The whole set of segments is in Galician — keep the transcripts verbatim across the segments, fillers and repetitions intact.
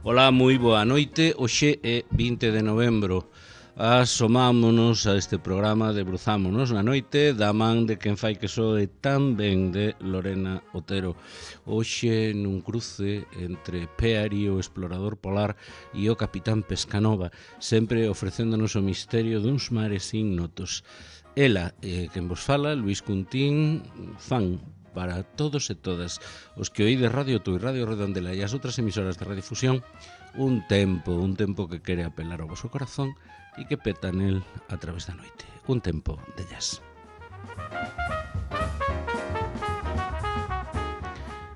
Ola, moi boa noite. Hoxe é vinte de novembro. Asomámonos a este programa, debruzámonos na noite da man de quen fai que soe tan ben, de Lorena Otero. Hoxe nun cruce entre Peary, o explorador polar, e o capitán Pescanova, sempre ofrecéndonos o misterio duns mares ignotos. Ela, eh, quen vos fala, Luís Cuntín, fan para todos e todas os que oídes Radio Tui, Radio Redondela e as outras emisoras de radiodifusión, un tempo, un tempo que quere apelar ao vosso corazón e que peta nel a través da noite. Un tempo de jazz.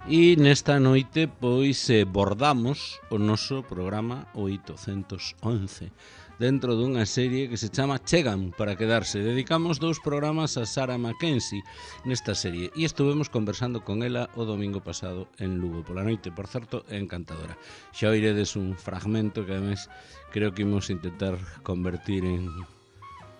E nesta noite, pois, eh, bordamos o noso programa oitocentos once dentro dunha serie que se chama Chegan para quedarse. Dedicamos dous programas a Sarah Mackenzie nesta serie e estuvemos conversando con ela o domingo pasado en Lugo pola noite, por certo, encantadora. Xa oiredes un fragmento que ademais creo que imos intentar convertir en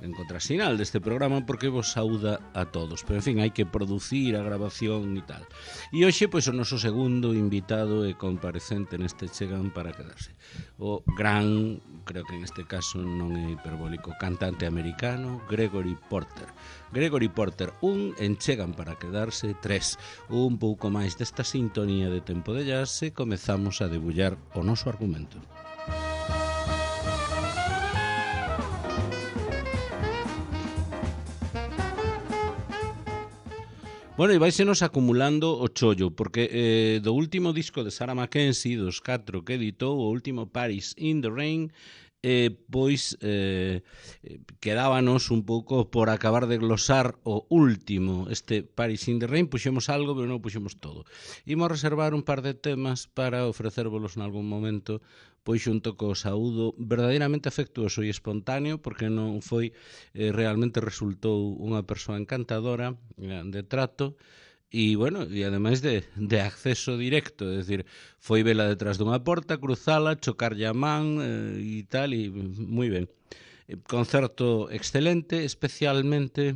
en contrasinal deste programa porque vos saúda a todos, pero en fin, hai que producir a grabación e tal. E hoxe, pois, o noso segundo invitado e comparecente neste Chegan para quedarse, o gran, creo que en este caso non é hiperbólico, cantante americano Gregory Porter. Gregory Porter, un en Chegan para quedarse, tres, un pouco máis desta sintonía de tempo de jazz e comezamos a debullar o noso argumento. Bueno, e váisenos acumulando o chollo, porque eh, do último disco de Sarah Mackenzie, dos catro que editou, o último Paris in the Rain, eh, pois eh, quedábanos un pouco por acabar de glosar o último, este Paris in the Rain. Puxemos algo, pero non puxemos todo. Imos reservar un par de temas para ofrecérvolos nalgún momento, pois xunto co saúdo verdadeiramente afectuoso e espontáneo, porque non foi, eh, realmente resultou unha persoa encantadora, de trato, e, bueno, e ademais de, de acceso directo, é dicir, foi vela detrás dunha porta, cruzala, chocarlle a man eh, e tal, e moi ben. Concerto excelente, especialmente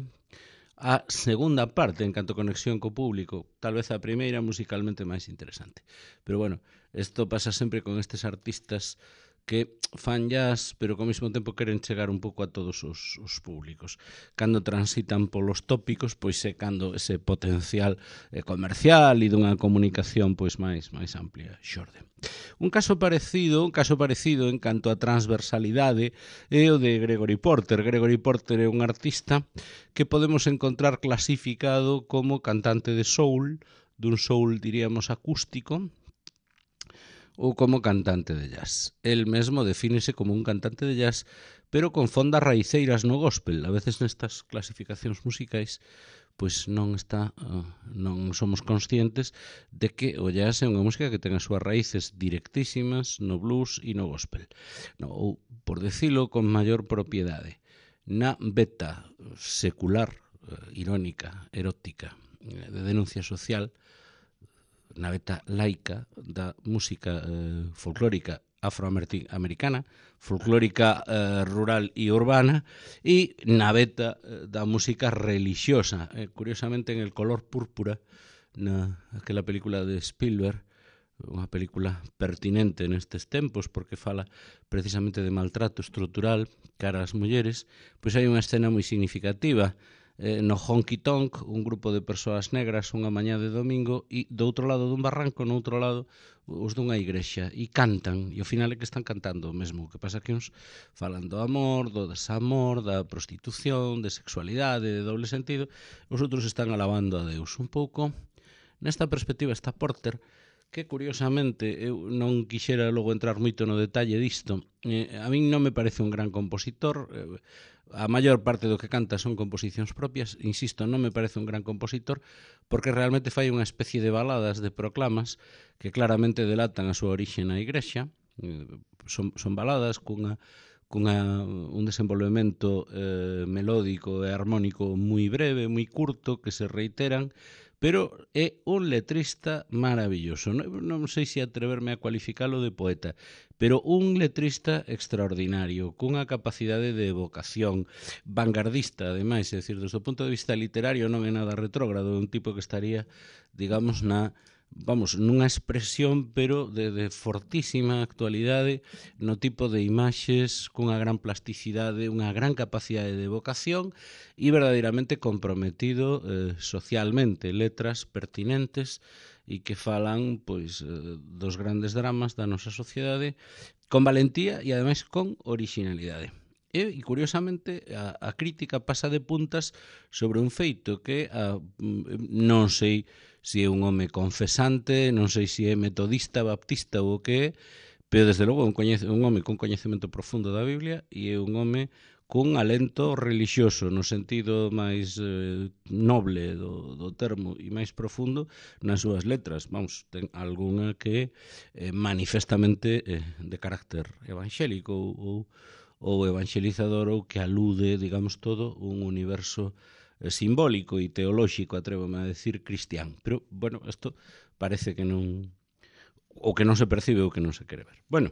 a segunda parte en canto a conexión co público, tal vez a primeira musicalmente máis interesante. Pero, bueno, isto pasa sempre con estes artistas que fan jazz, pero ao mesmo tempo queren chegar un pouco a todos os, os públicos. Cando transitan polos tópicos, pois é cando ese potencial eh, comercial e dunha comunicación pois máis máis amplia xorde. Un caso parecido, un caso parecido en canto a transversalidade é o de Gregory Porter. Gregory Porter é un artista que podemos encontrar clasificado como cantante de soul, dun soul, diríamos, acústico, ou como cantante de jazz. El mesmo defínese como un cantante de jazz, pero con fondas raiceiras no gospel. A veces nestas clasificacións musicais pois non está, non somos conscientes de que o jazz é unha música que ten as súas raíces directísimas no blues e no gospel. No, ou, por decilo con maior propiedade, na beta secular, irónica, erótica, de denuncia social, na beta laica da música eh, folclórica afroamericana, folclórica eh, rural e urbana, e na beta eh, da música religiosa. Eh, curiosamente, en El color púrpura, na aquela película de Spielberg, unha película pertinente nestes tempos porque fala precisamente de maltrato estrutural cara ás mulleres, pois hai unha escena moi significativa eh, no Honky Tonk, un grupo de persoas negras unha mañá de domingo, e do outro lado dun barranco, no outro lado os dunha igrexa, e cantan, e ao final é que están cantando o mesmo, que pasa que uns falan do amor, do desamor, da prostitución, de sexualidade, de doble sentido, os outros están alabando a Deus. Un pouco nesta perspectiva está Porter, que curiosamente eu non quixera logo entrar moito no detalle disto. Eh, a min non me parece un gran compositor, eh, a maior parte do que canta son composicións propias, insisto, non me parece un gran compositor porque realmente fai unha especie de baladas, de proclamas que claramente delatan a súa orixe na igrexa. Eh, son, son baladas cunha cunha, un desenvolvemento eh, melódico e armónico moi breve, moi curto, que se reiteran, pero é un letrista maravilloso. Non, non sei se atreverme a cualificalo de poeta, pero un letrista extraordinario, cunha capacidade de evocación, vanguardista, ademais, é dicir, desde o punto de vista literario non é nada retrógrado, é un tipo que estaría, digamos, na vamos, nunha expresión, pero de, de fortísima actualidade no tipo de imaxes cunha gran plasticidade, unha gran capacidade de evocación e verdadeiramente comprometido eh, socialmente, letras pertinentes e que falan pois eh, dos grandes dramas da nosa sociedade con valentía e ademais con originalidade. E, e curiosamente, a, a crítica pasa de puntas sobre un feito que a, non sei se é un home confesante, non sei se é metodista, baptista ou o que é, pero desde logo é un, coñece, un home con coñecemento profundo da Biblia e é un home cun alento religioso no sentido máis eh, noble do, do termo e máis profundo nas súas letras. Vamos, ten algunha que é eh, manifestamente eh, de carácter evangélico ou, ou, ou evangelizador ou que alude, digamos todo, un universo simbólico e teolóxico, atrévome a decir, cristián. Pero, bueno, isto parece que non... o que non se percibe ou que non se quere ver. Bueno,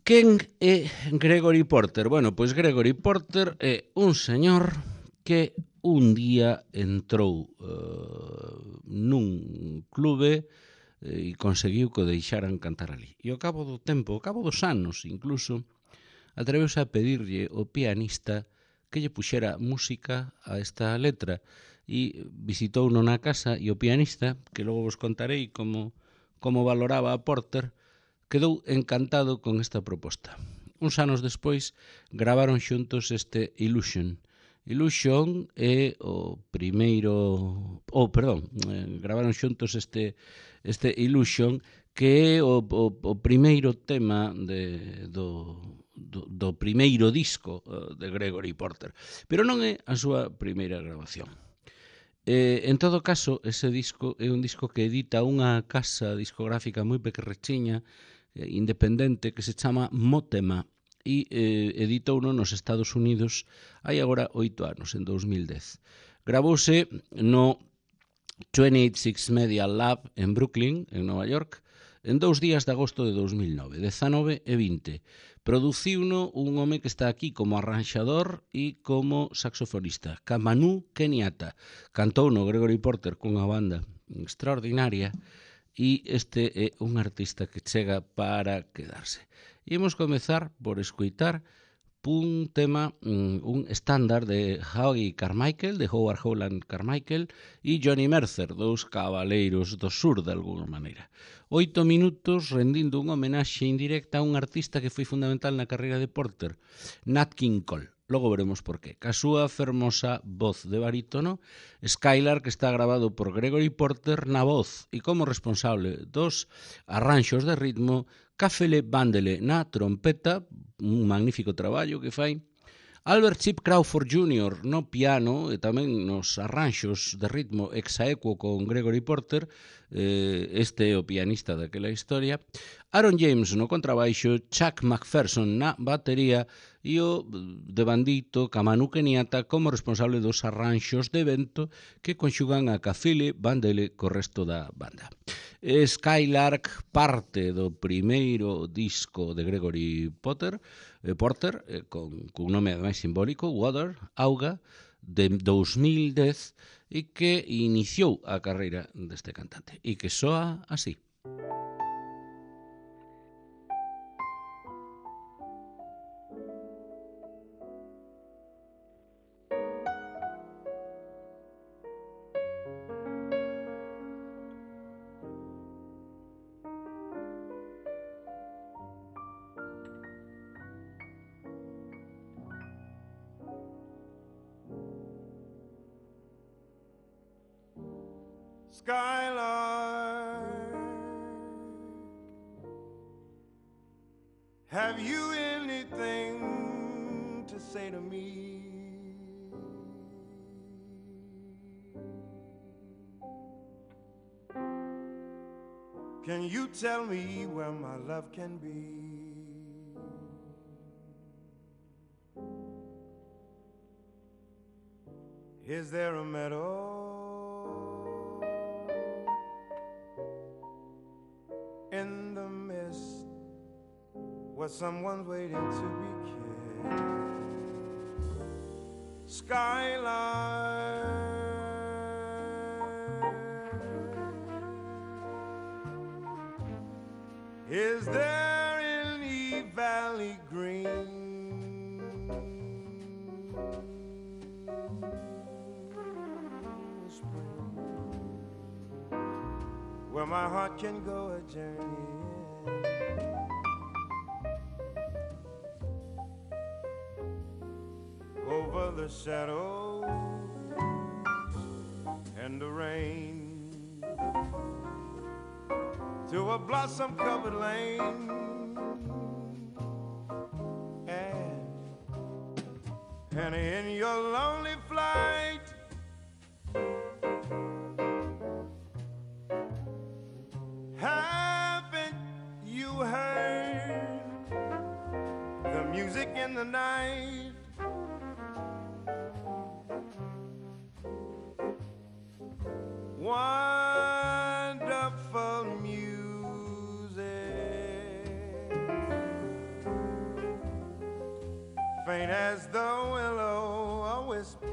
quen é Gregory Porter? Bueno, pois Gregory Porter é un señor que un día entrou uh, nun clube e conseguiu que o deixaran cantar ali. E ao cabo do tempo, ao cabo dos anos incluso, atreveuse a pedirlle o pianista que lle puxera música a esta letra e visitou na casa e o pianista, que logo vos contarei como, como valoraba a Porter, quedou encantado con esta proposta. Uns anos despois gravaron xuntos este Illusion. Illusion é o primeiro... Oh, perdón, eh, gravaron xuntos este, este Illusion, que é o, o, o primeiro tema de, do... Do, do primeiro disco uh, de Gregory Porter, pero non é a súa primeira grabación. Eh, en todo caso, ese disco é un disco que edita unha casa discográfica moi pequerrechiña, eh, independente, que se chama Motema, e eh, editouno nos Estados Unidos hai agora oito anos, en dos mil dez. Gravouse no veintiosito Media Lab en Brooklyn, en Nova York, en dous días de agosto de dos mil nove, dezanove e vinte. Produciuno un home que está aquí como arranxador e como saxofonista, Kamanu Kenyatta. Cantou no Gregory Porter cunha banda extraordinaria e este é un artista que chega para quedarse. E imos comezar por escoitar un tema, un estándar de Howie Carmichael, de Howard Howland Carmichael e Johnny Mercer, dous cabaleiros do sur de alguna maneira. Oito minutos rendindo unha homenaxe indirecta a un artista que foi fundamental na carreira de Porter, Nat King Cole. Logo veremos por qué. Ca súa fermosa voz de barítono, Skylar, que está grabado por Gregory Porter na voz e como responsable dos arranxos de ritmo, Cafele Bandele na trompeta, un magnífico traballo que fai, Albert Chip Crawford júnior no piano e tamén nos arranxos de ritmo exaequo con Gregory Porter, eh, este é o pianista daquela historia, Aaron James no contrabaixo, Chuck McPherson na batería e o de bandito Kamanu Kenyatta como responsable dos arranxos de vento que conxugan a Cafele Bandele co resto da banda. Skylark parte do primeiro disco de Gregory Potter, eh, Porter, eh, con, con un nome máis simbólico, Water, Auga, de dos mil dez, e que iniciou a carreira deste cantante, e que soa así. Skylark, have you anything to say to me? Can you tell me where my love can be? Is there a meadow in the mist where someone's waiting to be kissed? Skyline, is there any valley green spring where my heart can go a journey over the shadows and the rain to a blossom-covered lane, and, and in your lonely flight, haven't you heard the music in the night? Wonderful music, faint as the will-o-wisp,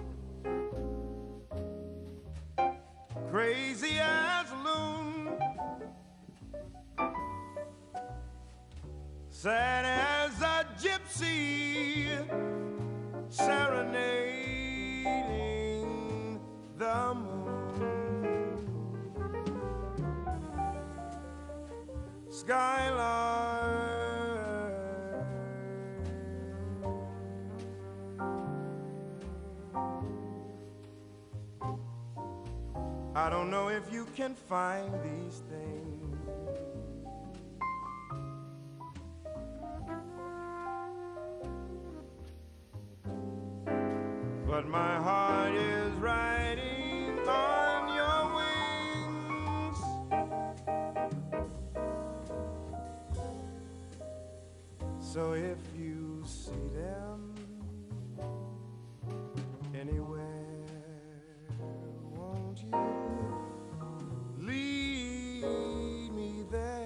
crazy as a loon, sad as a gypsy, serenading the moon. Skyline, I don't know if you can find these things, but my heart is riding on your wings. So if you see them anywhere, won't you lead me there?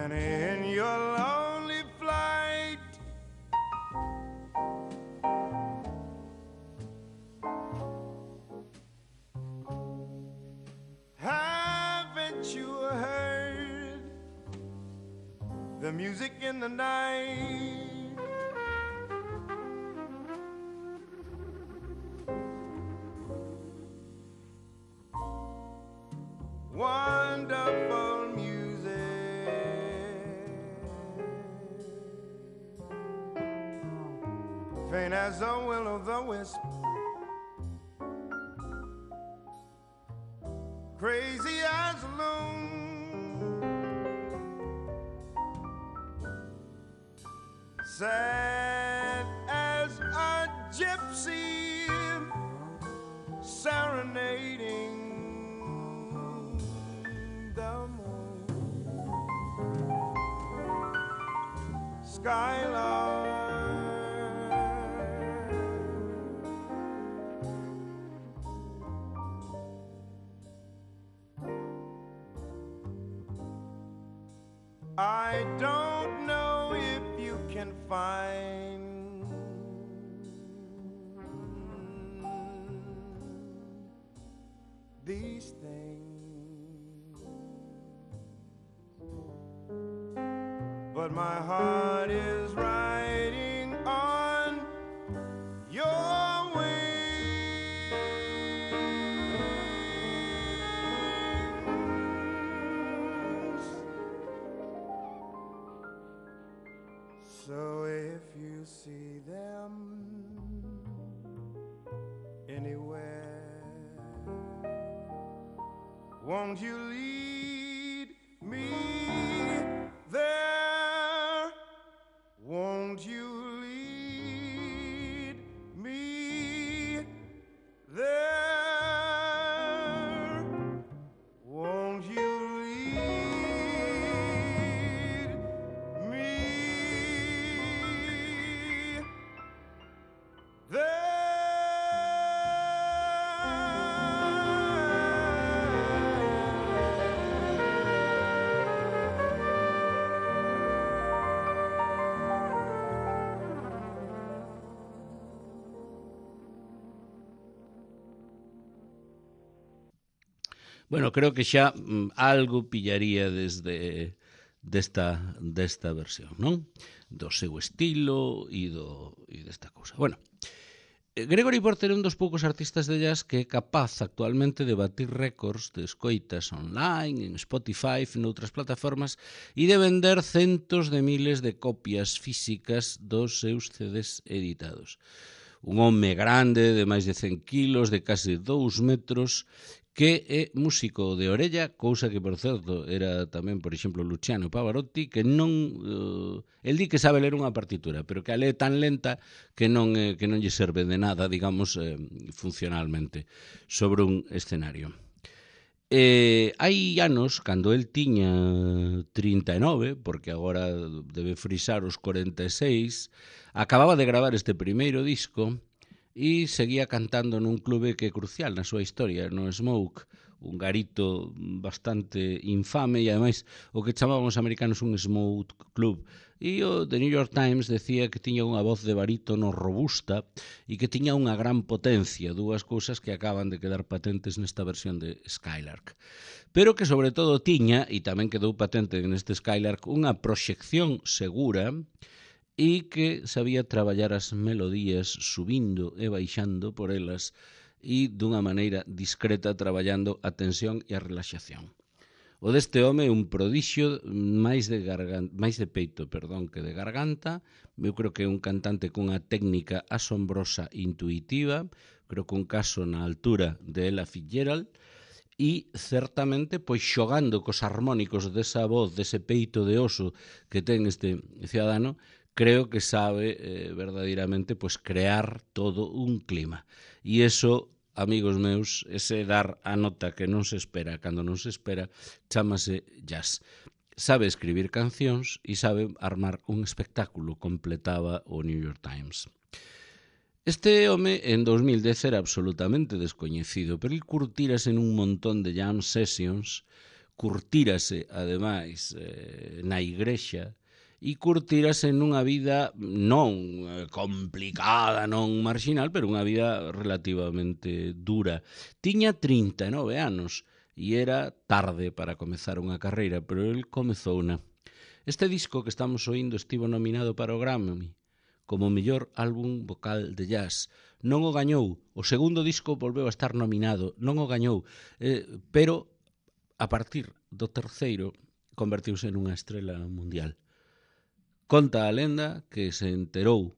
And in your lonely flight, haven't you heard the music in the night? Wonderful music, faint as a will-o'-the-wisp, crazy as a loon, sad as a gypsy serenading the moon. Skylark, I don't know if you can find these things, but my heart is riding on your wings. So if you see them anywhere, won't you lead me there? Won't you lead me there? Won't you lead me there? Bueno, creo que xa mm, algo pillaría desde desta, desta versión, non? Do seu estilo e, do, e desta cousa. Bueno, Gregory Porter é un dos poucos artistas de jazz que é capaz actualmente de batir récords de escoitas online, en Spotify, en outras plataformas, e de vender centos de miles de copias físicas dos seus C Ds editados. Un home grande de máis de cen kilos, de case dous metros, que é músico de orella, cousa que, por certo, era tamén, por exemplo, Luciano Pavarotti, que non... Uh, el di que sabe ler unha partitura, pero que a lee tan lenta que non, eh, que non lle serve de nada, digamos, eh, funcionalmente, sobre un escenario. Eh, hai anos, cando el tiña trinta e nove, porque agora debe frisar os corenta e seis, acababa de gravar este primeiro disco e seguía cantando nun clube que é crucial na súa historia, no Smoke, un garito bastante infame e, ademais, o que chamaban os americanos un Smoke Club. E o The New York Times decía que tiña unha voz de barítono robusta e que tiña unha gran potencia, dúas cousas que acaban de quedar patentes nesta versión de Skylark. Pero que, sobre todo, tiña, e tamén quedou patente neste Skylark, unha proxección segura e que sabía traballar as melodías subindo e baixando por elas e dunha maneira discreta traballando a tensión e a relaxación. O deste home é un prodixio máis de garganta, máis de peito, perdón, que de garganta. Eu creo que é un cantante cunha técnica asombrosa e intuitiva, creo que un caso na altura de Ella Fitzgerald, e certamente pois xogando cos harmónicos desa voz, dese peito de oso que ten este cidadano, creo que sabe eh, verdadeiramente pues, crear todo un clima. E iso, amigos meus, ese dar a nota que non se espera cando non se espera, chámase jazz. Sabe escribir cancións e sabe armar un espectáculo, completaba o New York Times. Este home en dos mil dez era absolutamente descoñecido, pero ele curtírase nun montón de jam sessions, curtírase, ademais, eh, na igrexa, e curtírase nunha vida non complicada, non marginal, pero unha vida relativamente dura. Tiña trinta e nove anos e era tarde para comezar unha carreira, pero el comezou unha. Este disco que estamos oindo estivo nominado para o Grammy como mellor álbum vocal de jazz. Non o gañou. O segundo disco volveu a estar nominado. Non o gañou. Eh, pero a partir do terceiro convertiuse nunha estrela mundial. Conta a lenda que se enterou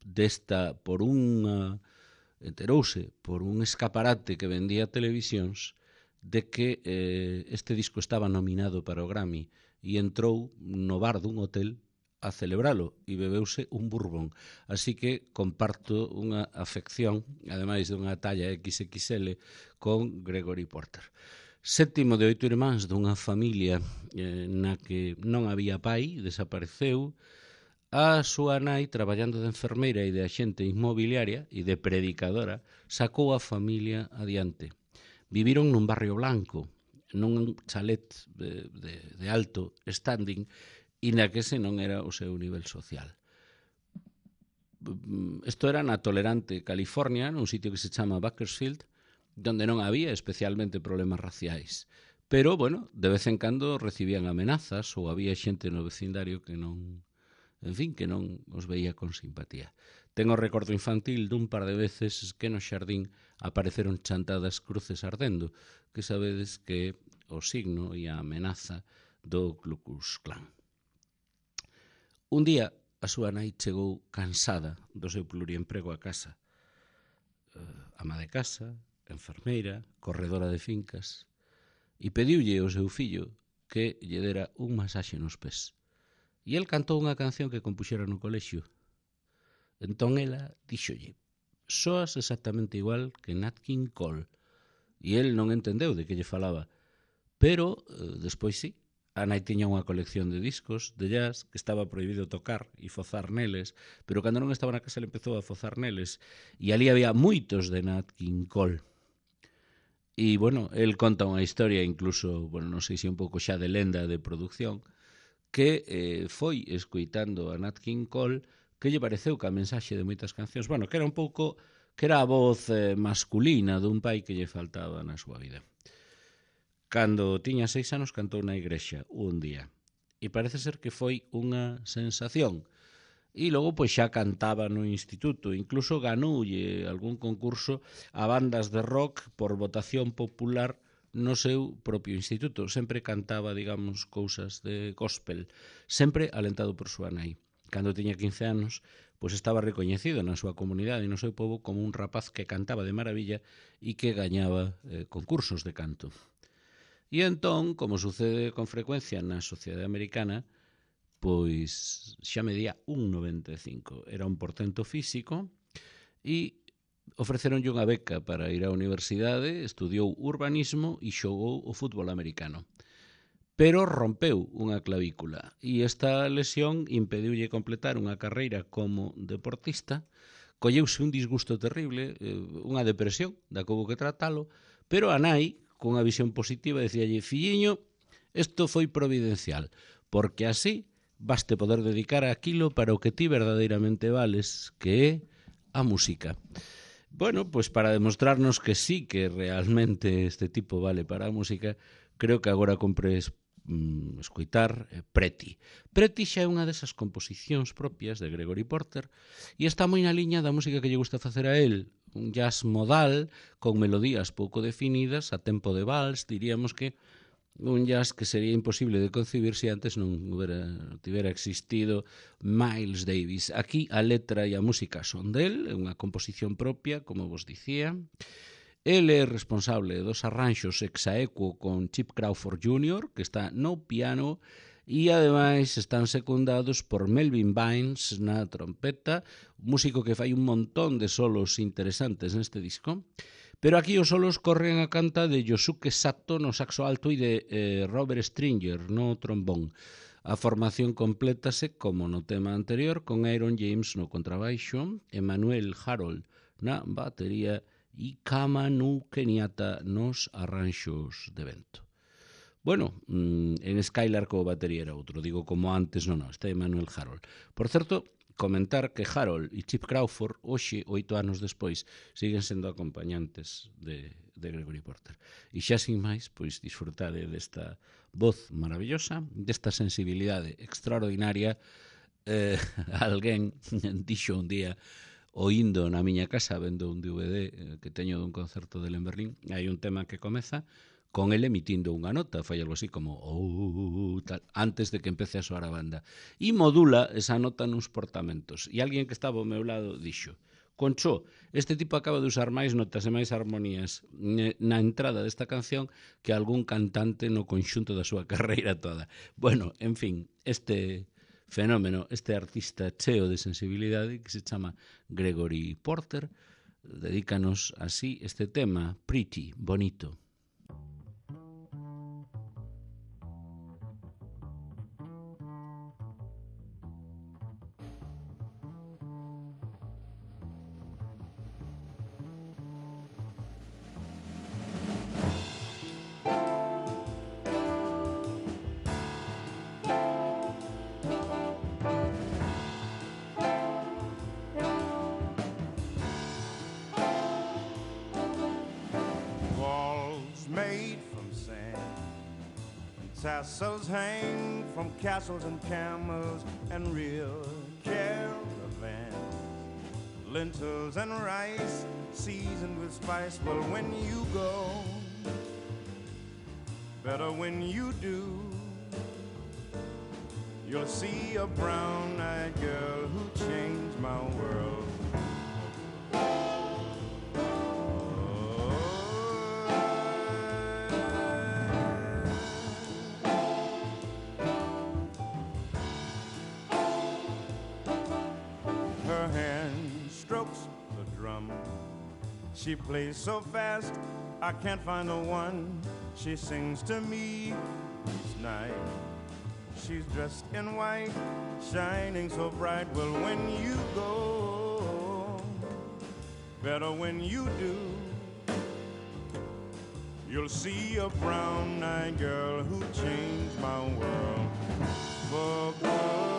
desta por unha enterouse por un escaparate que vendía televisións de que eh, este disco estaba nominado para o Grammy e entrou no bar dun hotel a celebralo e bebeuse un bourbon. Así que comparto unha afección, ademais dunha talla equis equis ele, con Gregory Porter. Sétimo de oito irmáns dunha familia eh, na que non había pai, desapareceu. A súa nai, traballando de enfermeira e de axente inmobiliaria e de predicadora, sacou a familia adiante. Viviron nun barrio blanco, nun chalet de, de, de alto standing, e na que ese non era o seu nivel social. Isto era na tolerante California, nun sitio que se chama Bakersfield, donde non había especialmente problemas raciais. Pero, bueno, de vez en cando recibían amenazas ou había xente no vecindario que non, en fin, que non os veía con simpatía. Tengo recordo infantil dun par de veces que no xardín apareceron chantadas cruces ardendo, que sabedes que o signo e a amenaza do Ku Klux Klan. Un día, a súa nai chegou cansada do seu pluriemprego a casa. Uh, ama de casa, enfermeira, corredora de fincas, e pediulle ao seu fillo que lle dera un masaxe nos pés. E el cantou unha canción que compuxera no colexio. Entón ela díxolle: soas exactamente igual que Nat King Cole. E el non entendeu de que lle falaba. Pero, eh, despois sí, a nai tiña unha colección de discos de jazz que estaba prohibido tocar e fozar neles, pero cando non estaba na casa ele empezou a fozar neles, e ali había moitos de Nat King Cole. E, bueno, el conta unha historia, incluso, bueno, non sei se un pouco xa de lenda de producción, que eh, foi escoitando a Nat King Cole que lle pareceu que a mensaxe de moitas cancións, bueno, que era un pouco, que era a voz eh, masculina dun pai que lle faltaba na súa vida. Cando tiña seis anos cantou na igrexa un día, e parece ser que foi unha sensación. E logo pois xa cantaba no instituto, incluso ganoulle algún concurso a bandas de rock por votación popular no seu propio instituto. Sempre cantaba, digamos, cousas de gospel, sempre alentado por súa nai. Cando tiña quince anos, pois estaba recoñecido na súa comunidade e no seu pobo como un rapaz que cantaba de maravilla e que gañaba eh, concursos de canto. E entón, como sucede con frecuencia na sociedade americana, pois xa medía un noventa e cinco. Era un portento físico e ofreceronlle unha beca para ir á universidade, estudiou urbanismo e xogou o fútbol americano. Pero rompeu unha clavícula e esta lesión impediulle completar unha carreira como deportista. Colleuse un disgusto terrible, unha depresión, da que houbo que tratalo, pero a nai, cunha visión positiva, decíalle: filliño, isto foi providencial, porque así vaste poder dedicar aquilo para o que ti verdadeiramente vales, que é a música. Bueno, pois para demostrarnos que sí, que realmente este tipo vale para a música, creo que agora compres mm, escoitar eh, Pretty. Pretty xa é unha desas composicións propias de Gregory Porter e está moi na liña da música que lle gusta facer a él, un jazz modal con melodías pouco definidas, a tempo de vals, diríamos que un jazz que sería imposible de concebir se antes non hubiera, tivera existido Miles Davis. Aquí a letra e a música son del, é unha composición propia, como vos dicía. Ele é responsable dos arranxos exaequo con Chip Crawford júnior, que está no piano, e ademais están secundados por Melvin Bynes na trompeta, un músico que fai un montón de solos interesantes neste disco. Pero aquí os solos corren a canta de Yosuke Sato no saxo alto e de eh, Robert Stringer no trombón. A formación complétase, como no tema anterior, con Aaron James no contrabaixo, Emmanuel Harold na batería e Kamanu Kenyatta nos arranxos de vento. Bueno, en Skylark o batería era outro, digo como antes, non, non, está Emmanuel Harold. Por certo, comentar que Harold e Chip Crawford, hoxe, oito anos despois, siguen sendo acompañantes de, de Gregory Porter. E xa sin máis, pois disfrutade desta voz maravillosa, desta sensibilidade extraordinaria. Eh, alguén dixo un día, oindo na miña casa, vendo un D V D que teño dun concerto del en Berlín, hai un tema que comeza con ele emitindo unha nota, fai algo así como oh, tal, antes de que empece a soar a banda. E modula esa nota nuns portamentos. E alguén que estaba ao meu lado dixo: Concho, este tipo acaba de usar máis notas e máis armonías na entrada desta canción que algún cantante no conxunto da súa carreira toda. Bueno, en fin, este fenómeno, este artista cheo de sensibilidade que se chama Gregory Porter, dedícanos así este tema, Pretty, bonito. Tassels hang from castles and camels and real caravans, lentils and rice seasoned with spice. Well, when you go, better when you do, you'll see a brown-eyed girl who changed my world. She plays so fast, I can't find the one. She sings to me each night. She's dressed in white, shining so bright. Well, when you go, better when you do, you'll see a brown-eyed girl who changed my world for good.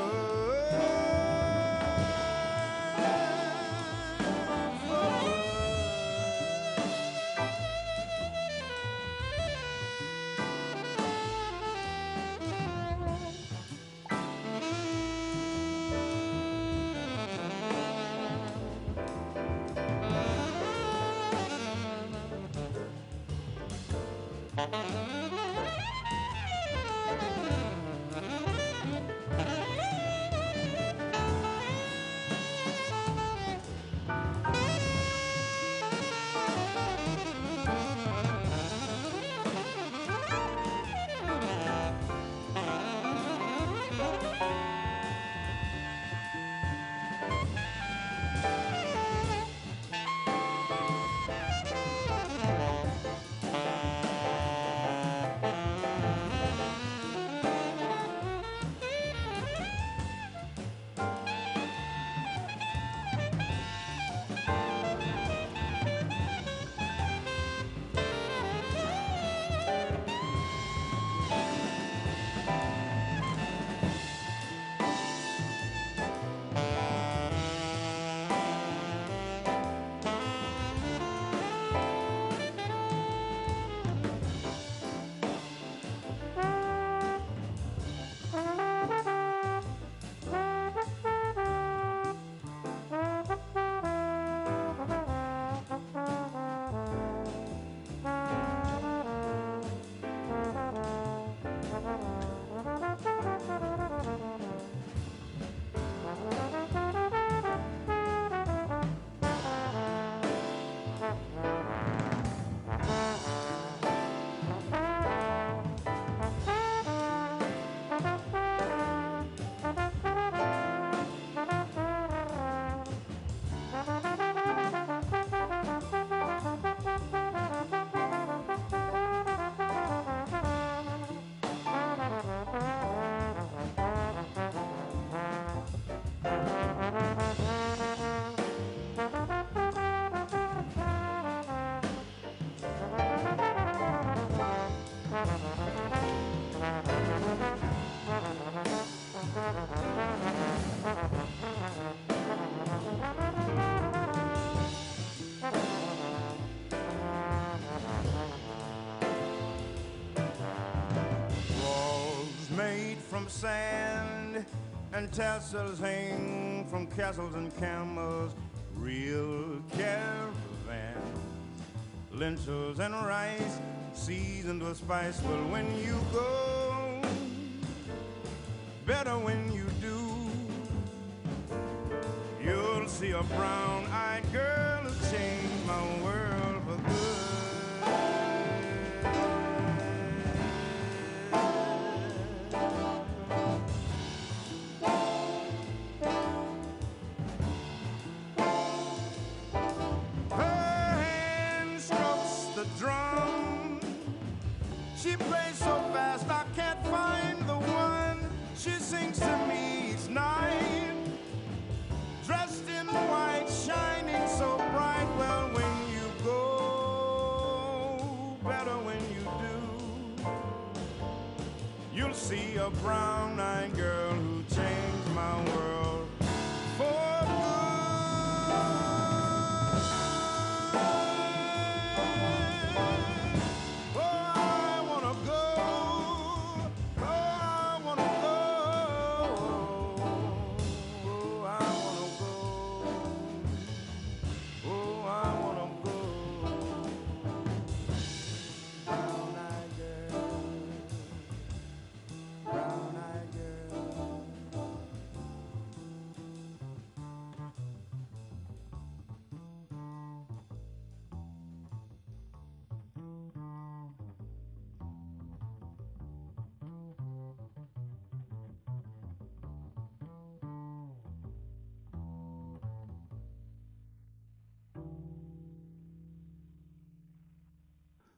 From sand and tassels hang from castles and camels, real caravans, lentils and rice seasoned with spice. Well, when you go, better when you do, you'll see a brown-eyed girl who changed my world for good. She plays so fast I can't find the one. She sings to me each night, dressed in white, shining so bright. Well, when you go, better when you do, you'll see a brown-eyed girl who changed my world for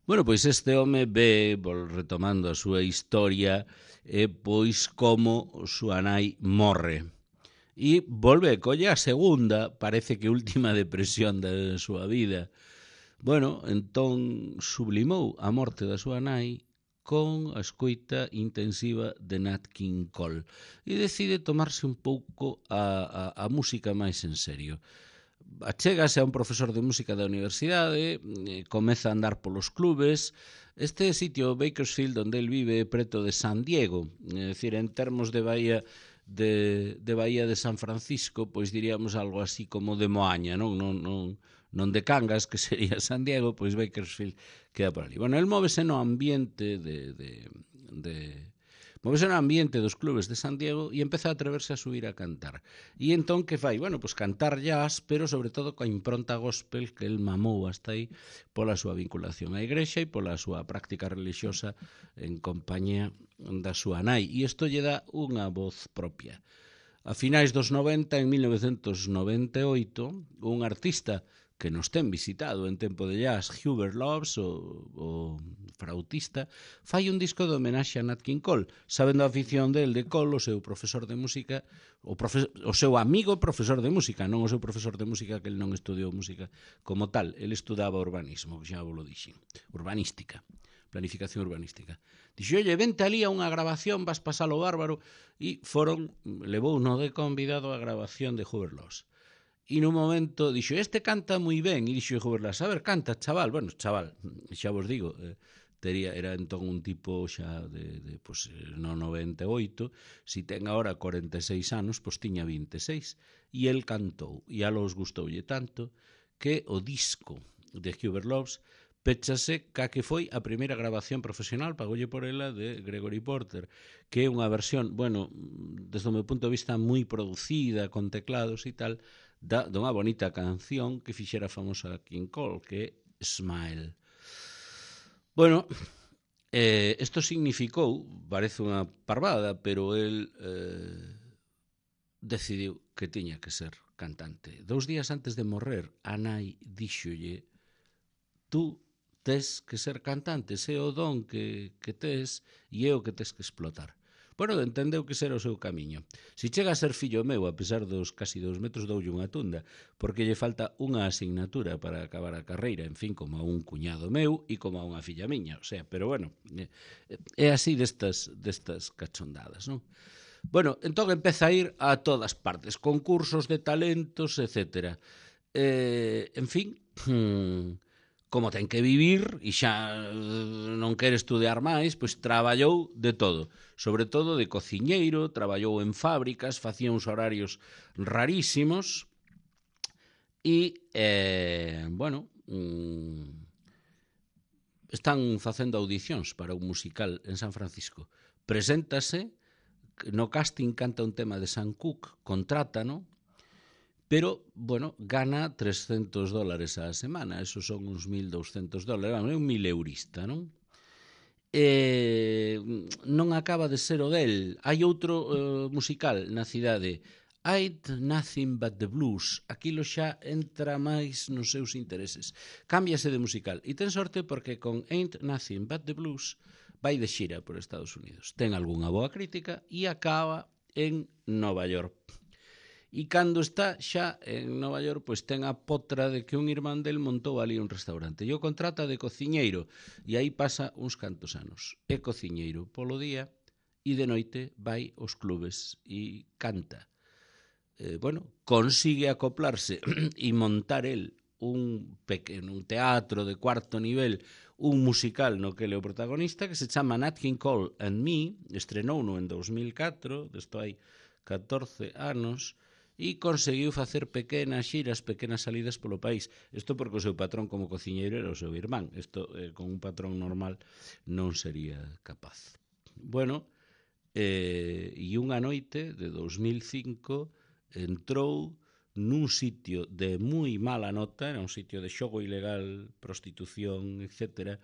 Bueno, pois este home ve, retomando a súa historia, eh, pois como súa nai morre. E volve, colle a segunda, parece que última depresión da súa vida. Bueno, entón sublimou a morte da súa nai con a escoita intensiva de Nat King Cole e decide tomarse un pouco a, a, a música máis en serio. Achégase a un profesor de música da universidade, comeza a andar polos clubes. Este sitio, Bakersfield, onde el vive, preto de San Diego, é dicir, en termos de Bahía de, de Bahía de San Francisco, pois diríamos algo así como de Moaña, non, non, non, non de Cangas, que sería San Diego, pois Bakersfield queda por ali. Bueno, el móvese no ambiente de... de, de Móvese no ambiente dos clubes de San Diego e empeza a atreverse a subir a cantar. E entón que fai? Bueno, pois cantar jazz, pero sobre todo coa impronta gospel que el mamou hasta aí pola súa vinculación á igrexa e pola súa práctica religiosa en compañía da súa nai. E isto lle dá unha voz propia. A finais dos noventa, en mil novecentos noventa e oito, un artista que nos ten visitado en tempo de jazz, Hubert Loves, o, o frautista, fai un disco de homenaxe a Nat King Cole, sabendo a afición del de Cole, o seu profesor de música, o, profe, o seu amigo profesor de música, non o seu profesor de música, que ele non estudiou música como tal, ele estudaba urbanismo, que xa vos lo dixen, urbanística, planificación urbanística. Dixo, oye, vente ali a unha grabación, vas pasalo bárbaro, e foron, levou no de convidado a grabación de Hubert Loves. E nun momento dixo, este canta moi ben, e dixo Hubert Loves, a ver, canta, chaval. Bueno, chaval, xa vos digo, eh, tería, era entón un tipo xa de, de pues, no noventa e oito, si ten agora cuarenta e seis anos, pois tiña vinte e seis, e el cantou, e a los gustoulle tanto, que o disco de Hubert Loves péchase ca que foi a primeira grabación profesional, pagoulle por ela, de Gregory Porter, que é unha versión, bueno, desde o meu punto de vista moi producida, con teclados e tal, da, dunha bonita canción que fixera famosa King Cole, que é Smile. Bueno, eh, isto significou, parece unha parvada, pero el eh, decidiu que tiña que ser cantante. Dous días antes de morrer, a nai díxolle, tú tes que ser cantante, se o don que, que tes e é o que tes que explotar. Bueno, entendeu que será o seu camiño. Si chega a ser fillo meu, a pesar dos casi dous metros, doulle unha tunda, porque lle falta unha asignatura para acabar a carreira, en fin, como a un cuñado meu e como a unha filla miña, o sea, pero bueno, é así destas, destas cachondadas, non? Bueno, entón empeza a ir a todas partes, concursos de talentos, etcétera. Eh, en fin, como ten que vivir e xa non quere estudiar máis, pois traballou de todo, sobre todo de cociñeiro, traballou en fábricas, facía uns horarios rarísimos e, eh, bueno, mm, están facendo audicións para un musical en San Francisco. Preséntase, no casting canta un tema de Sam Cooke, contrátano, pero, bueno, gana trescentos dólares a semana, esos son uns mil douscentos dólares, é un mil eurista, non? Eh, non acaba de ser o del. Hai outro uh, musical na cidade, Ain't Nothing But The Blues, aquilo xa entra máis nos seus intereses. Cámbiase de musical, e ten sorte porque con Ain't Nothing But The Blues vai de xira por Estados Unidos. Ten algunha boa crítica e acaba en Nova York. E cando está xa en Nova York, pois ten a potra de que un irmán del montou ali un restaurante. E o contrata de cociñeiro, e aí pasa uns cantos anos. É cociñeiro polo día e de noite vai aos clubes e canta. Eh, bueno, consigue acoplarse e montar el un pequeno un teatro de cuarto nivel, un musical no que ele é o protagonista, que se chama Nat King Cole and Me, estrenouno en dos mil catro, desto hai catorce anos, e conseguiu facer pequenas xiras, pequenas salidas polo país. Isto porque o seu patrón como cociñeiro era o seu irmán. Isto eh, con un patrón normal non sería capaz. Bueno, eh, e unha noite de dos mil cinco entrou nun sitio de moi mala nota, era un sitio de xogo ilegal, prostitución, etcétera,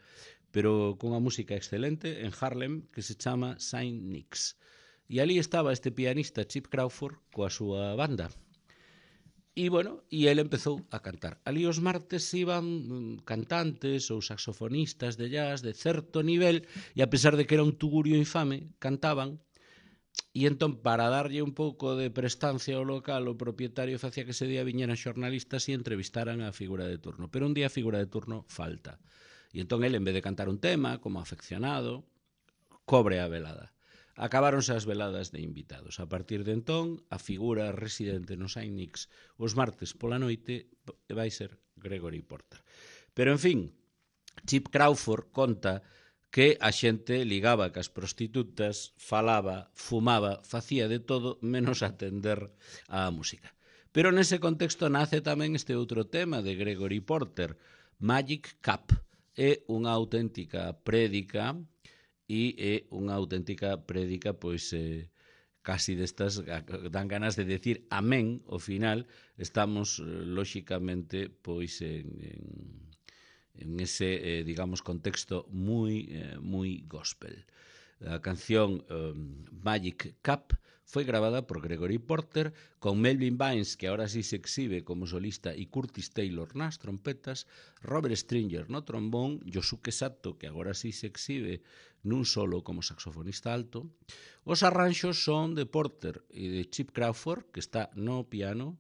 pero con unha música excelente en Harlem que se chama Saint Nick's. E ali estaba este pianista Chip Crawford coa súa banda. E, bueno, e ele empezou a cantar. Ali os martes iban cantantes ou saxofonistas de jazz de certo nivel e a pesar de que era un tugurio infame, cantaban. E entón, para darlle un pouco de prestancia ao local, o propietario facía que ese día viñeran xornalistas e entrevistaran a figura de turno. Pero un día a figura de turno falta. E entón ele, en vez de cantar un tema, como afeccionado, cobre a velada. Acabáronse as veladas de invitados. A partir de entón, a figura residente no Saint Nick's os martes pola noite vai ser Gregory Porter. Pero, en fin, Chip Crawford conta que a xente ligaba cas prostitutas, falaba, fumaba, facía de todo menos atender á música. Pero nese contexto nace tamén este outro tema de Gregory Porter, Magic Cup. É unha auténtica prédica e é unha auténtica prédica, pois, eh, casi destas, dan ganas de decir amén, ao final, estamos, eh, lóxicamente, pois, en, en, en ese, eh, digamos, contexto moi, eh, moi gospel. A canción eh, Magic Cup foi grabada por Gregory Porter con Melvin Vines, que ahora sí se exhibe como solista, e Curtis Taylor nas trompetas, Robert Stringer no trombón, Yosuke Sato, que agora sí se exhibe nun solo como saxofonista alto. Os arranxos son de Porter e de Chip Crawford, que está no piano,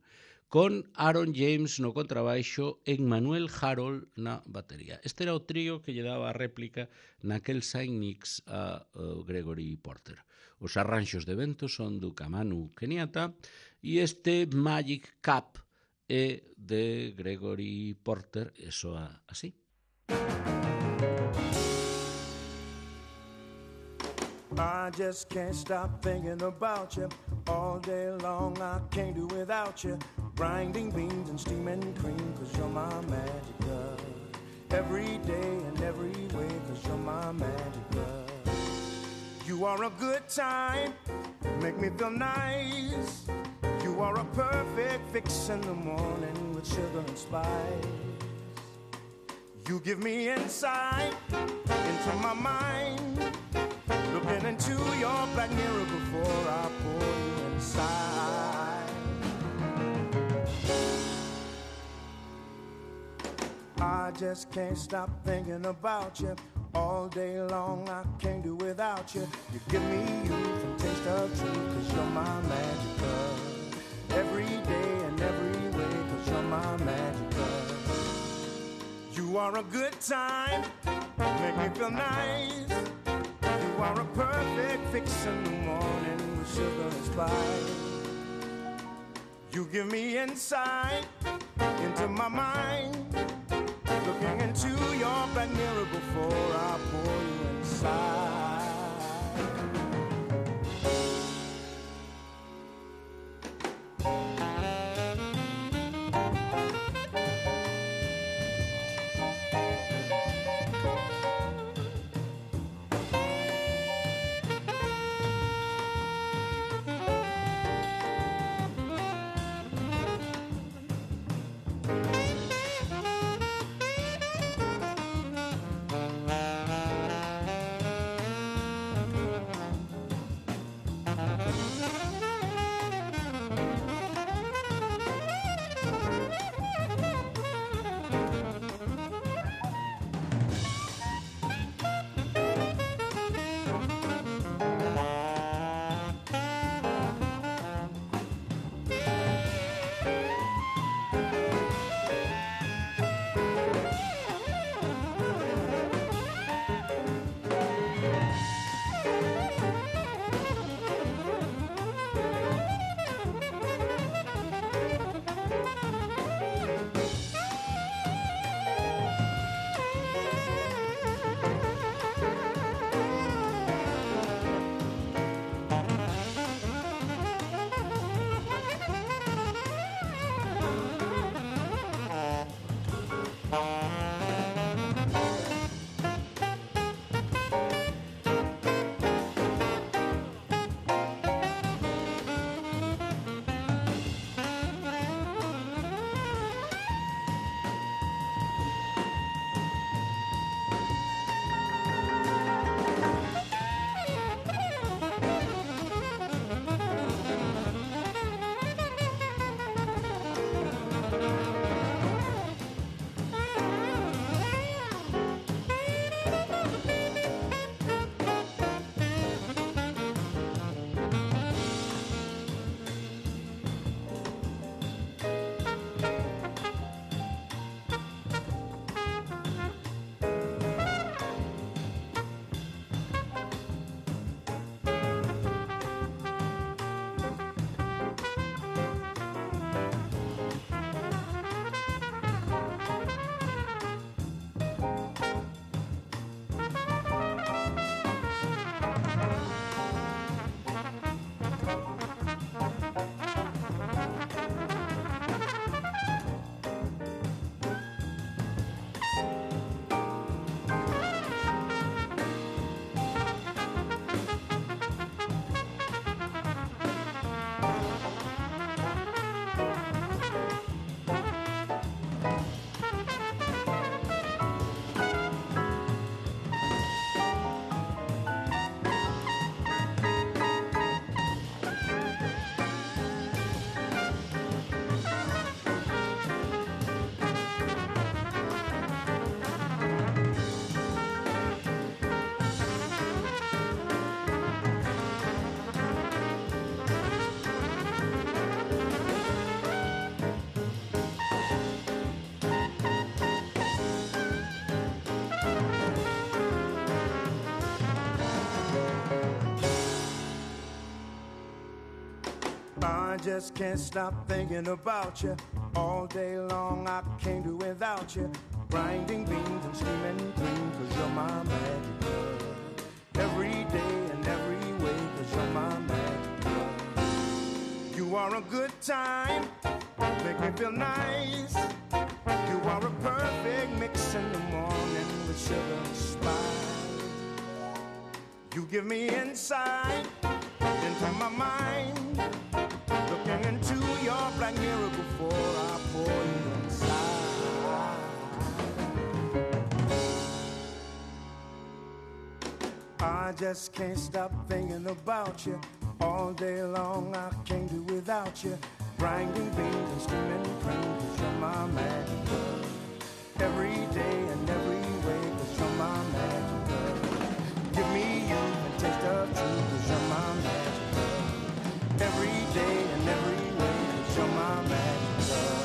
con Aaron James no contrabaixo e Manuel Harold na batería. Este era o trío que lle daba a réplica naquel Saint Nick's a uh, Gregory Porter. Os arranxos de vento son do Kamanu Kenyatta e este Magic Cup é de Gregory Porter e soa así. I just can't stop thinking about you. All day long I can't do without you. Grinding beans and steaming cream, cause you're my magic girl. Every day and every way, cause you're my magic girl. You are a good time, make me feel nice. You are a perfect fix in the morning with sugar and spice. You give me insight into my mind, looking into your black mirror before I pour you inside. I just can't stop thinking about you. All day long I can't do without you. You give me youth and taste of truth, cause you're my magic girl. Every day and every way, cause you're my magic girl. You are a good time, make me feel nice. You are a perfect fix in the morning with sugar and spice. You give me insight into my mind, looking into your black mirror before I pour you inside. I just can't stop thinking about you. All day long I can't do without you. Grinding beans and steaming cream, cause you're my magic girl. Every day and every way, cause you're my magic girl. You are a good time, make me feel nice. You are a perfect mix in the morning with sugar and spice. You give me insight into my mind, looking into your black mirror before I pour you inside. I just can't stop thinking about you. All day long I can't do without you. Grinding beans and steaming cream, cause you're my magic girl. Every day and every way, cause you're my magic girl. Give me you and taste of truth, cause you're my magic girl. Every day and every way, cause you're my magic girl.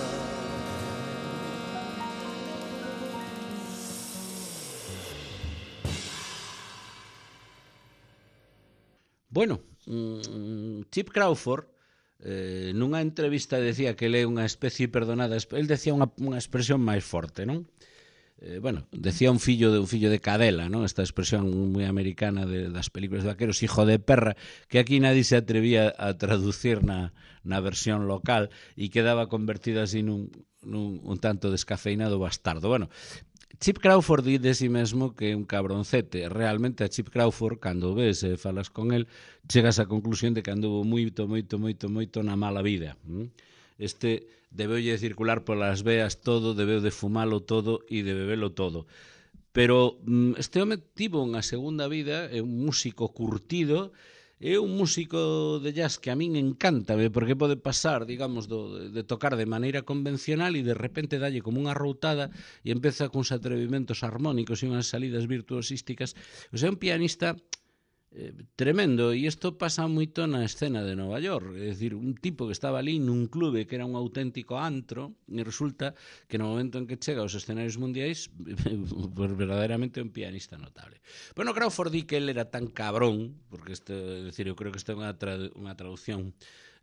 Bueno, Chip Crawford eh, nunha entrevista decía que ele é unha especie perdonada, el decía unha, unha expresión máis forte, non? Eh, bueno, decía un fillo de un fillo de cadela, non? Esta expresión moi americana de, das películas de vaqueros, hijo de perra, que aquí nadie se atrevía a traducir na, na versión local e quedaba convertida así nun, nun un tanto descafeinado bastardo. Bueno, Chip Crawford di de si mesmo que é un cabroncete. Realmente a Chip Crawford, cando ves e falas con el, chegas á conclusión de que anduvo moito, moito, moito, moito na mala vida. Este debeulle circular polas veas todo, debeu de fumalo todo e de bebelo todo. Pero este home tivo unha segunda vida, é un músico curtido, é un músico de jazz que a min encanta, porque pode pasar, digamos, do, de tocar de maneira convencional e de repente dalle como unha routada e empeza con uns atrevimentos armónicos e unhas salidas virtuosísticas. O sea, é un pianista eh, tremendo, e isto pasa moito na escena de Nova York. É dicir, un tipo que estaba ali nun clube que era un auténtico antro e resulta que no momento en que chega aos escenarios mundiais pues verdadeiramente é un pianista notable. Bueno, Crawford di que ele era tan cabrón, porque este, é dicir, eu creo que esta é unha, tra unha traducción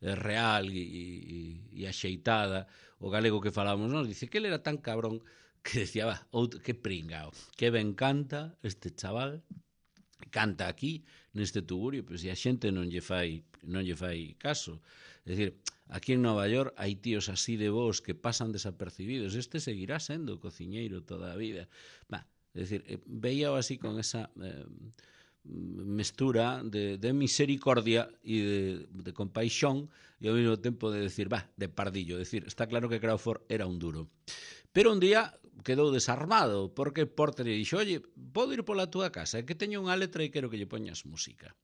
eh, real e, e, e axeitada, o galego que falamos, nos dice que ele era tan cabrón que decía, va, outro, que pringao, que ben canta este chaval, canta aquí neste tugurio, pois e a xente non lle fai non lle fai caso. É dicir, aquí en Nova York hai tíos así de vos que pasan desapercibidos, este seguirá sendo cociñeiro toda a vida. Bah, é dicir, veíao así con esa eh, mestura de, de misericordia e de, de compaixón e ao mesmo tempo de decir, bah, de pardillo. É dicir, está claro que Crawford era un duro. Pero un día quedou desarmado, porque Porter lle dixo, oye, podo ir pola túa casa, é que teño unha letra e quero que lle poñas música.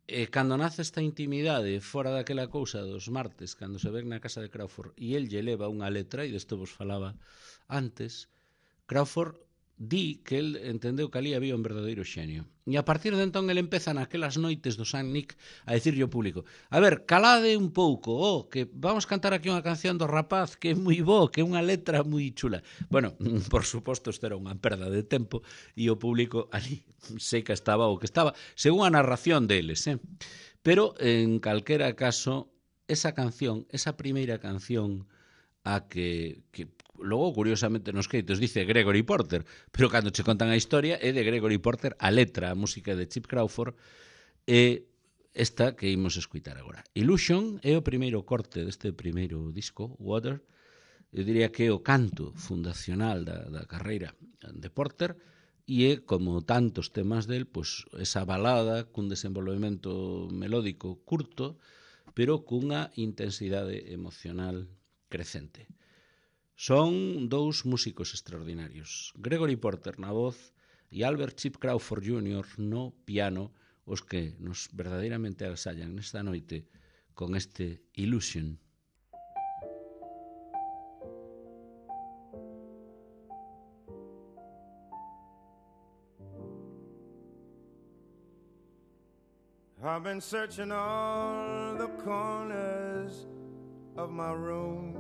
E cando nace esta intimidade, fora daquela cousa dos martes, cando se ven na casa de Crawford, e el lle leva unha letra, e desto vos falaba antes, Crawford di que el entendeu que ali había un verdadeiro xenio. E a partir de entón el empeza naquelas noites do San Nick a dicirlle ao público, a ver, calade un pouco, oh, que vamos cantar aquí unha canción do rapaz que é moi bo, que é unha letra moi chula. Bueno, por suposto, isto era unha perda de tempo e o público ali sei que estaba o que estaba, según a narración deles, eh? Pero en calquera caso, esa canción, esa primeira canción a que, que logo, curiosamente, nos créditos dice Gregory Porter, pero cando che contan a historia é de Gregory Porter a letra, a música de Chip Crawford, e esta que imos escutar agora. Illusion é o primeiro corte deste primeiro disco, Water, eu diría que é o canto fundacional da, da carreira de Porter, e é, como tantos temas del, pois, esa balada cun desenvolvemento melódico curto, pero cunha intensidade emocional crecente. Son dous músicos extraordinarios, Gregory Porter na voz e Albert Chip Crawford júnior no piano, os que nos verdadeiramente agasallan nesta noite con este Illusion. I've been searching all the corners of my room,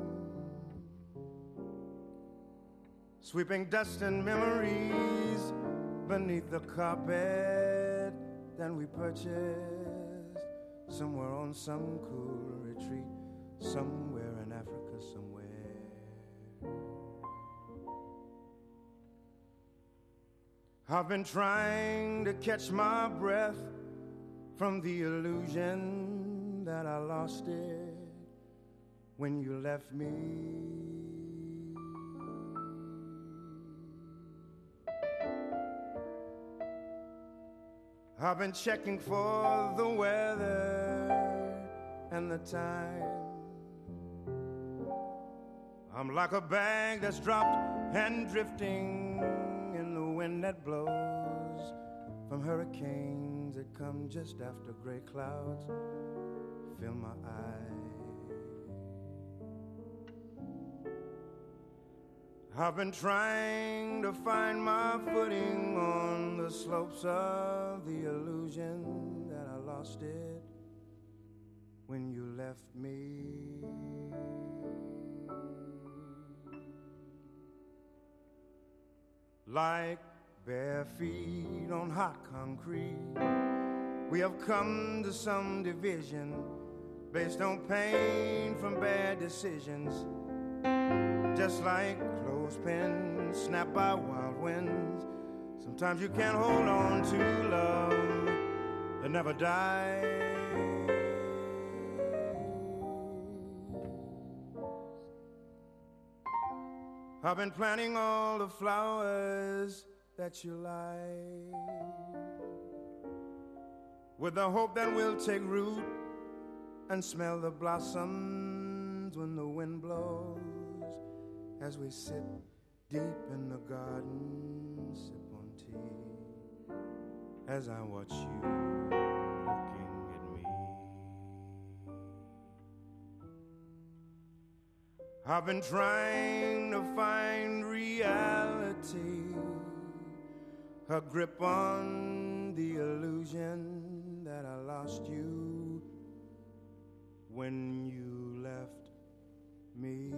sweeping dust and memories beneath the carpet that we purchased somewhere on some cool retreat, somewhere in Africa somewhere. I've been trying to catch my breath from the illusion that I lost it when you left me. I've been checking for the weather and the time. I'm like a bag that's dropped and drifting in the wind that blows from hurricanes that come just after gray clouds fill my eyes. I've been trying to find my footing on the slopes of the illusion that I lost it when you left me. Like bare feet on hot concrete, we have come to some division based on pain from bad decisions. Just like clothespins snapped by wild winds, sometimes you can't hold on to love that never dies. I've been planting all the flowers that you like, with the hope that we'll take root and smell the blossoms when the wind blows. As we sit deep in the garden, sip on tea, as I watch you looking at me. I've been trying to find reality, a grip on the illusion that I lost you when you left me.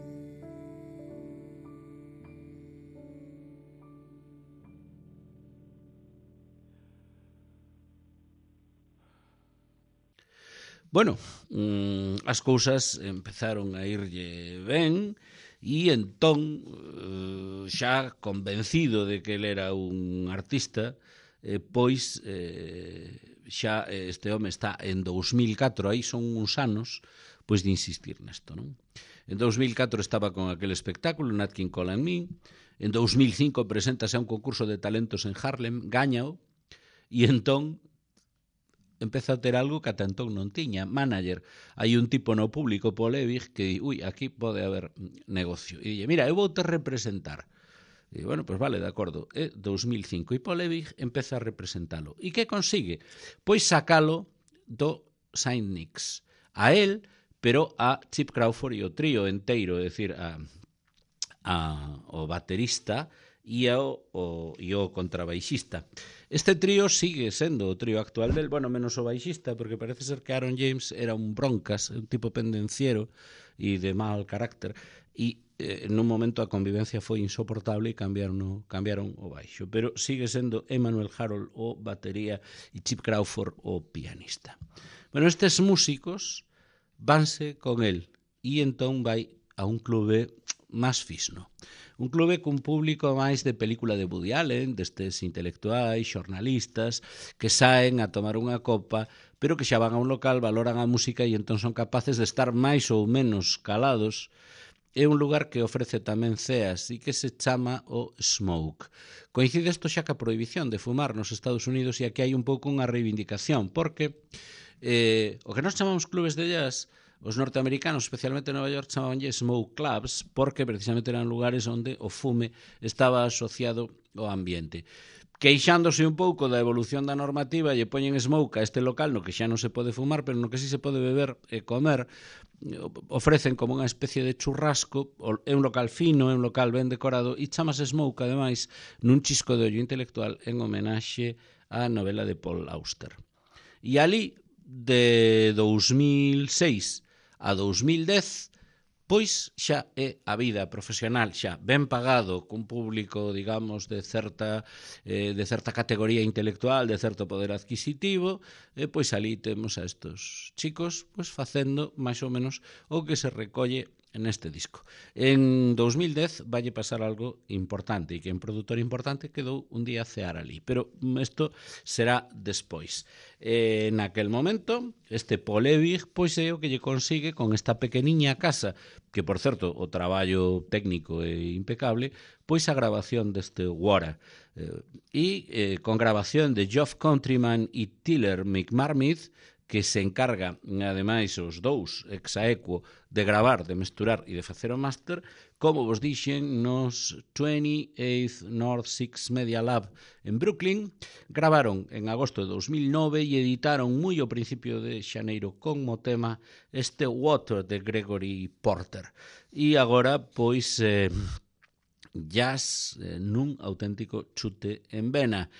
Bueno, mmm, as cousas empezaron a irlle ben e entón, eh, xa convencido de que ele era un artista, eh, pois eh, xa este home está en dous mil catro, aí son uns anos, pois de insistir nesto, non? En dous mil catro estaba con aquel espectáculo, Nat King Cole and Me. En dous mil cinco preséntase a un concurso de talentos en Harlem, gáñao, e entón empeza a ter algo que ata entón non tiña, manager. Hai un tipo no público, Paul Ewig, que di, ui, aquí pode haber negocio. E dille, mira, eu vou te representar. E bueno, pois vale, de acordo. É dous mil cinco e Paul Ewig empeza a representalo. E que consigue? Pois sacalo do Saint Nicks. A él, pero a Chip Crawford e o trío enteiro, é dicir, a, a, o baterista e o, o, e o contrabaixista. Este trío sigue sendo o trío actual del, bueno, menos o baixista, porque parece ser que Aaron James era un broncas, un tipo pendenciero e de mal carácter, e eh, nun momento a convivencia foi insoportable e cambiaron, o, cambiaron o baixo, pero sigue sendo Emmanuel Harold o batería e Chip Crawford o pianista. Bueno, estes músicos vanse con el e entón vai a un clube máis fisno. Un clube cun público máis de película de Woody Allen, destes intelectuais, xornalistas, que saen a tomar unha copa, pero que xa van a un local, valoran a música e entón son capaces de estar máis ou menos calados. É un lugar que ofrece tamén ceas e que se chama o Smoke. Coincide isto xa ca prohibición de fumar nos Estados Unidos e aquí hai un pouco unha reivindicación, porque eh, o que nos chamamos clubes de jazz, os norteamericanos, especialmente en Nova York, chamabanlle smoke clubs porque precisamente eran lugares onde o fume estaba asociado ao ambiente. Queixándose un pouco da evolución da normativa, lle poñen smoke a este local no que xa non se pode fumar, pero no que sí se pode beber e comer, ofrecen como unha especie de churrasco, é un local fino, é un local ben decorado e chamase smoke, ademais, nun chisco de ollo intelectual en homenaxe á novela de Paul Auster. E ali, de dous mil seis a dous mil dez, pois xa é a vida profesional, xa ben pagado, cun público, digamos, de certa eh, de certa categoría intelectual, de certo poder adquisitivo, e pois ali temos a estos chicos pois facendo máis ou menos o que se recolle neste disco. En dous mil dez valle pasar algo importante, e que un produtor importante quedou un día a cear ali, pero isto será despois. Eh, naquel momento, este Paul Ewig pois é o que lle consigue con esta pequeniña casa, que, por certo, o traballo técnico é impecable, pois a grabación deste Wara. Eh, e eh, con grabación de Geoff Countryman e Tiller McMarmith, que se encarga, ademais, os dous ex aequo, de gravar, de mesturar e de facer o máster, como vos dixen, nos twenty-eighth North Six Media Lab en Brooklyn. Gravaron en agosto de dous mil nove e editaron moi ao principio de xaneiro como tema este Water de Gregory Porter. E agora, pois, eh, jazz eh, nun auténtico chute en vena,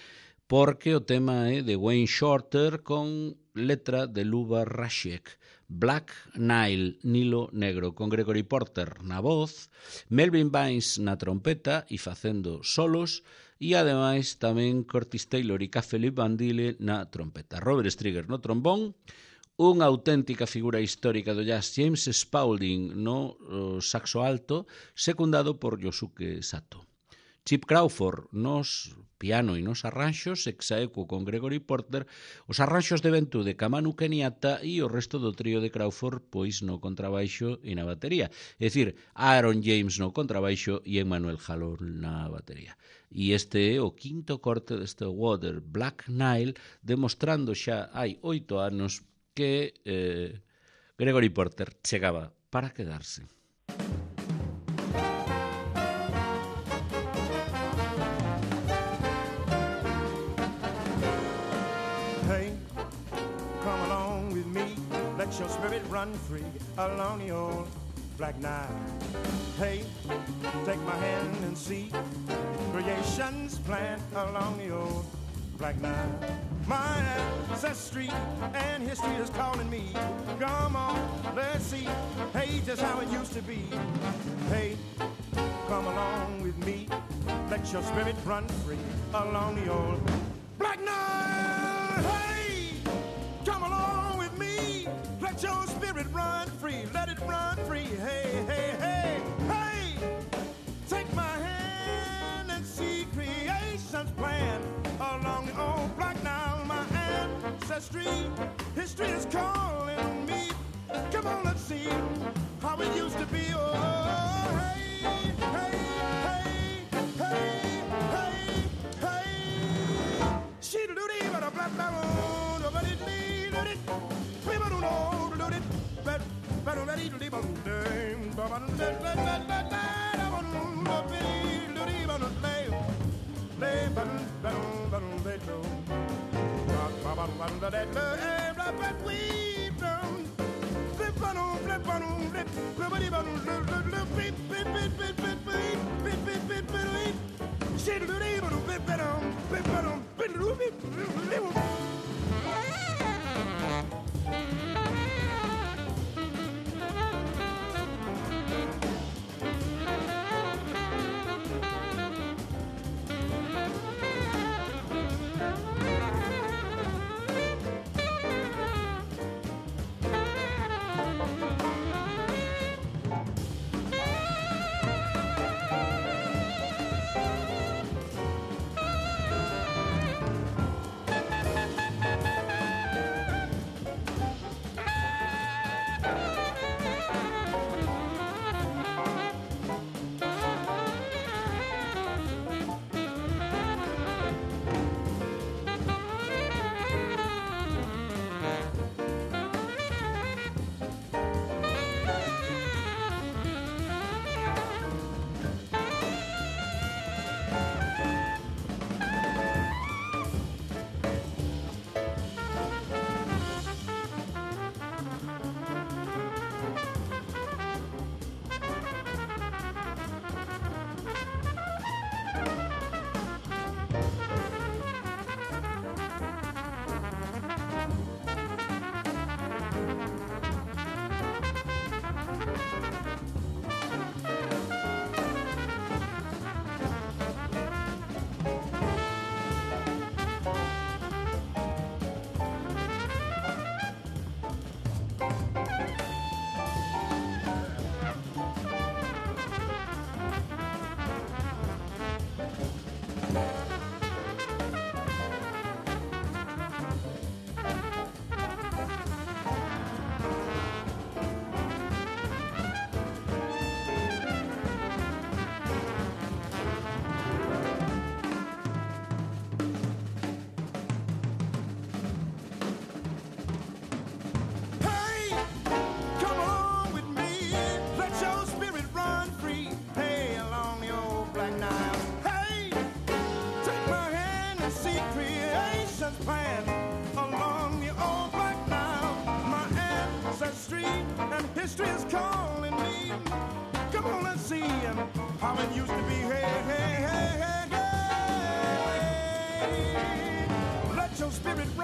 porque o tema é de Wayne Shorter con letra de Luba Rashek, Black Nile, Nilo Negro, con Gregory Porter na voz, Melvin Vines na trompeta e facendo solos, e ademais tamén Curtis Taylor e K. Philip Van Dille na trompeta. Robert Strigger no trombón, unha auténtica figura histórica do jazz, James Spaulding no saxo alto, secundado por Yosuke Sato. Chip Crawford nos piano e nos arranxos, ex aequo con Gregory Porter, os arranxos de ventú de Kamanu Kenyatta e o resto do trío de Crawford pois no contrabaixo e na batería. É dicir, Aaron James no contrabaixo e Emmanuel Jalón na batería. E este é o quinto corte deste Water, Black Nile, demostrando xa hai oito anos que eh, Gregory Porter chegaba para quedarse. Let your spirit run free along the old Black Nile. Hey, take my hand and see creation's plan along the old Black Nile. My ancestry and history is calling me. Come on, let's see, hey, just how it used to be. Hey, come along with me. Let your spirit run free along the old Black Nile. Hey, come along with me. Let your spirit run free, let it run free. Hey, hey, hey, hey. Take my hand and see creation's plan along the old Black Nile. My ancestry, history is calling me. Come on, let's see how it used to be. Oh, hey, hey, hey, hey, hey, hey. She do the but a black down, nobody need it. People don't know, do it. But but already do the bum dame. But but let let let let let I want to be do the bum lay. Lay but but but they do. But but but but that lay but we don't. Flip on flip on flip. Nobody but look beep beep beep beep beep beep beep beep beep. She do the bum flip on flip on flip beep.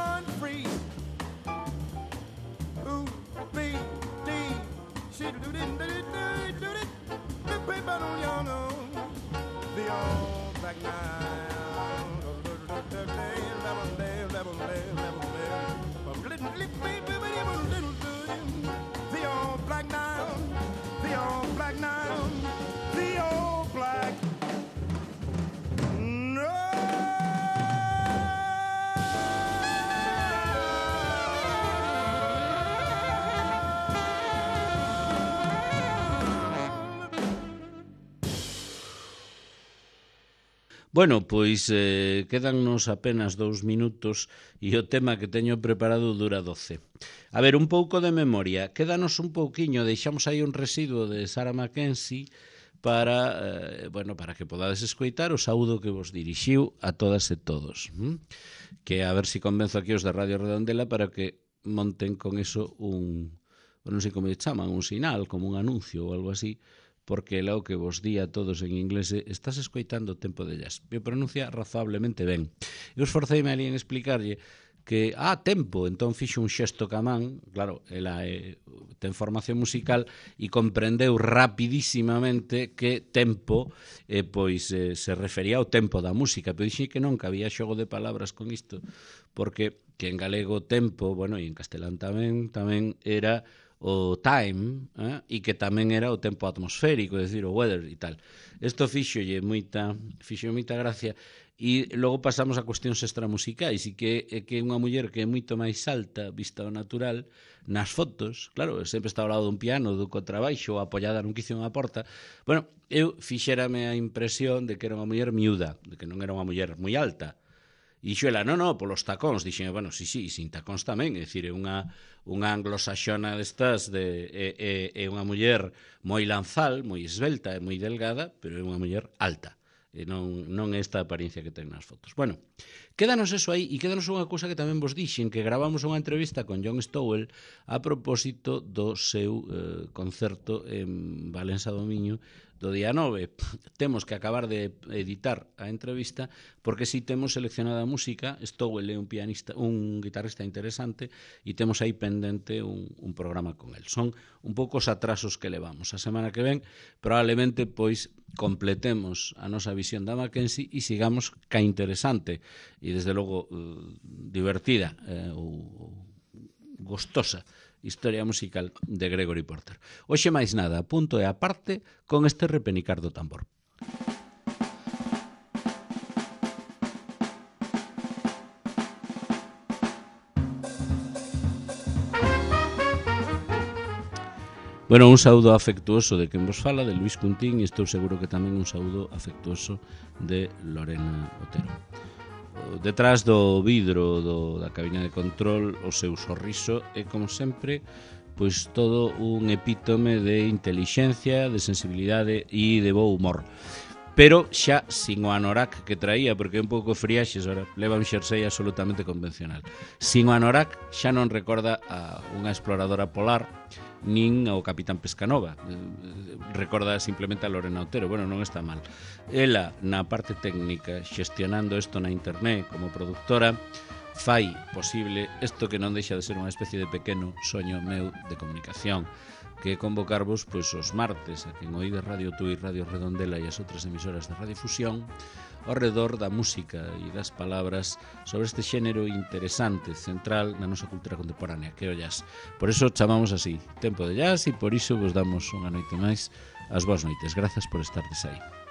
run free. Ooh, B, D, she do it, do it, do it, the paper on your nose. The old black nine, level, level, level, the old black nine, the old black nine, the old black. Bueno, pois eh, quedannos apenas dous minutos e o tema que teño preparado dura doce. A ver, un pouco de memoria. Quédanos un pouquiño, deixamos aí un residuo de Sarah Mackenzie para, eh, bueno, para que podades escoitar o saúdo que vos dirixiu a todas e todos. ¿Mm? Que a ver se si convenzo aquí os de Radio Redondela para que monten con eso un, non sei como lle chaman, un sinal, como un anuncio ou algo así, porque é o que vos di a todos en inglés, estás escoitando Tempo de Jazz. Me pronuncia razonablemente ben. Eu esforceime ali en explicarlle que, ah, tempo, entón fixo un xesto ca man, claro, ela eh, ten formación musical e comprendeu rapidísimamente que tempo eh, pois eh, se refería ao tempo da música, pero dixi que non, que había xogo de palabras con isto, porque que en galego tempo, bueno, e en castelán tamén, tamén era o time, eh? E que tamén era o tempo atmosférico, é dicir, o weather e tal. Isto fixolle moita, fixolle moita gracia e logo pasamos a cuestións extramusicais e que é que unha muller que é moito máis alta vista ao natural nas fotos, claro, sempre está ao lado dun piano, do contrabaixo, apoiada nun quicio unha porta. Bueno, eu fixérame a impresión de que era unha muller miúda, de que non era unha muller moi alta. E dixo ela, non, non, polos tacóns. Dixen, bueno, sí, sí, sin tacóns tamén. É dicir, é unha, unha anglosaxona destas, de, é, é, é unha muller moi lanzal, moi esvelta e moi delgada, pero é unha muller alta. E non, non é esta apariencia que ten nas fotos. Bueno, quédanos eso aí, e quédanos unha cousa que tamén vos dixen, que gravamos unha entrevista con John Stowell a propósito do seu eh, concerto en Valença do Miño do día nove. Temos que acabar de editar a entrevista porque si temos seleccionada a música. Stowell é un pianista, un guitarrista interesante e temos aí pendente un, un programa con el. Son un pouco os atrasos que levamos. A semana que ven probablemente pois completemos a nosa visión da Mackenzie e sigamos ca interesante e desde logo uh, divertida eh, ou gostosa historia musical de Gregory Porter. Hoxe máis nada, punto e aparte con este repenicar do tambor. Bueno, un saúdo afectuoso de quen vos fala, de Luis Cuntín, e estou seguro que tamén un saúdo afectuoso de Lorena Otero. Detrás do vidro do, da cabina de control, o seu sorriso é, como sempre, pois todo un epítome de intelixencia, de sensibilidade e de bo humor. Pero xa sin o anorak que traía, porque é un pouco friaxes, ora, leva un xersei absolutamente convencional. Sin o anorak xa non recorda a unha exploradora polar, nin ao Capitán Pescanova. Recorda simplemente a Lorena Otero. Bueno, non está mal. Ela, na parte técnica, xestionando isto na internet como productora, fai posible isto que non deixa de ser unha especie de pequeno soño meu de comunicación, que é convocarvos pois os martes a quen oíde Radio Tui, Radio Redondela e as outras emisoras de Radiofusión ao redor da música e das palabras sobre este xénero interesante, central na nosa cultura contemporánea, que é o jazz. Por iso chamamos así Tempo de Jazz e por iso vos damos unha noite máis as boas noites. Grazas por estardes aí.